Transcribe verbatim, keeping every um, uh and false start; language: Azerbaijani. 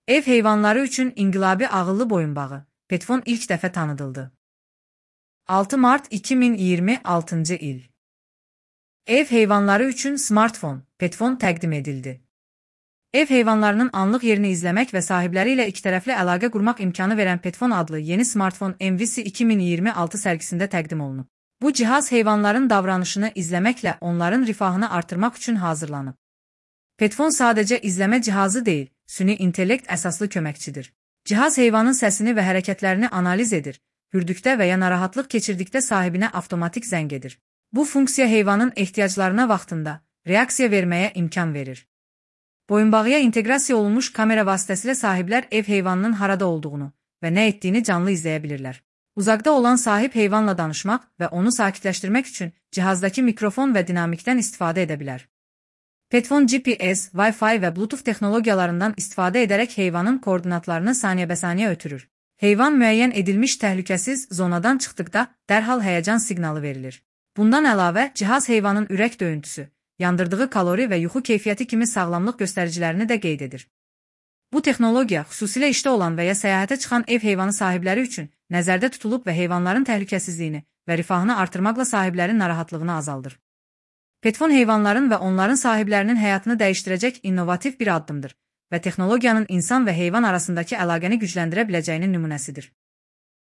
Ev heyvanları üçün inqilabi ağıllı boyunbağı, Petfon ilk dəfə tanıdıldı. altı mart iki min iyirmi altıncı il. Ev heyvanları üçün smartfon, Petfon təqdim edildi. Ev heyvanlarının anlıq yerini izləmək və sahibləri ilə ikitərəfli əlaqə qurmaq imkanı verən Petfon adlı yeni smartfon M V C iki min iyirmi altı sərgisində təqdim olunub. Bu cihaz heyvanların davranışını izləməklə onların rifahını artırmaq üçün hazırlanıb. Petfon sadəcə izləmə cihazı deyil, süni intellekt əsaslı köməkçidir. Cihaz heyvanın səsini və hərəkətlərini analiz edir, hürdükdə və ya narahatlıq keçirdikdə sahibinə avtomatik zəng edir. Bu funksiya heyvanın ehtiyaclarına vaxtında reaksiya verməyə imkan verir. Boyunbağıya inteqrasiya olunmuş kamera vasitəsilə sahiblər ev heyvanının harada olduğunu və nə etdiyini canlı izləyə bilirlər. Uzaqda olan sahib heyvanla danışmaq və onu sakitləşdirmək üçün cihazdakı mikrofon və dinamikdən istifadə edə bilər. Petfon G P S, Wi-Fi və Bluetooth texnologiyalarından istifadə edərək heyvanın koordinatlarını saniyə-bəsaniyə ötürür. Heyvan müəyyən edilmiş təhlükəsiz zonadan çıxdıqda dərhal həyəcan siqnalı verilir. Bundan əlavə, cihaz heyvanın ürək döyüntüsü, yandırdığı kalori və yuxu keyfiyyəti kimi sağlamlıq göstəricilərini də qeyd edir. Bu texnologiya xüsusilə işdə olan və ya səyahətə çıxan ev heyvanı sahibləri üçün nəzərdə tutulub və heyvanların təhlükəsizliyini və rifahını artırmaqla sahiblərin narahatlığını azaldır. Petfon heyvanların və onların sahiblərinin həyatını dəyişdirəcək innovativ bir addımdır və texnologiyanın insan və heyvan arasındakı əlaqəni gücləndirə biləcəyinin nümunəsidir.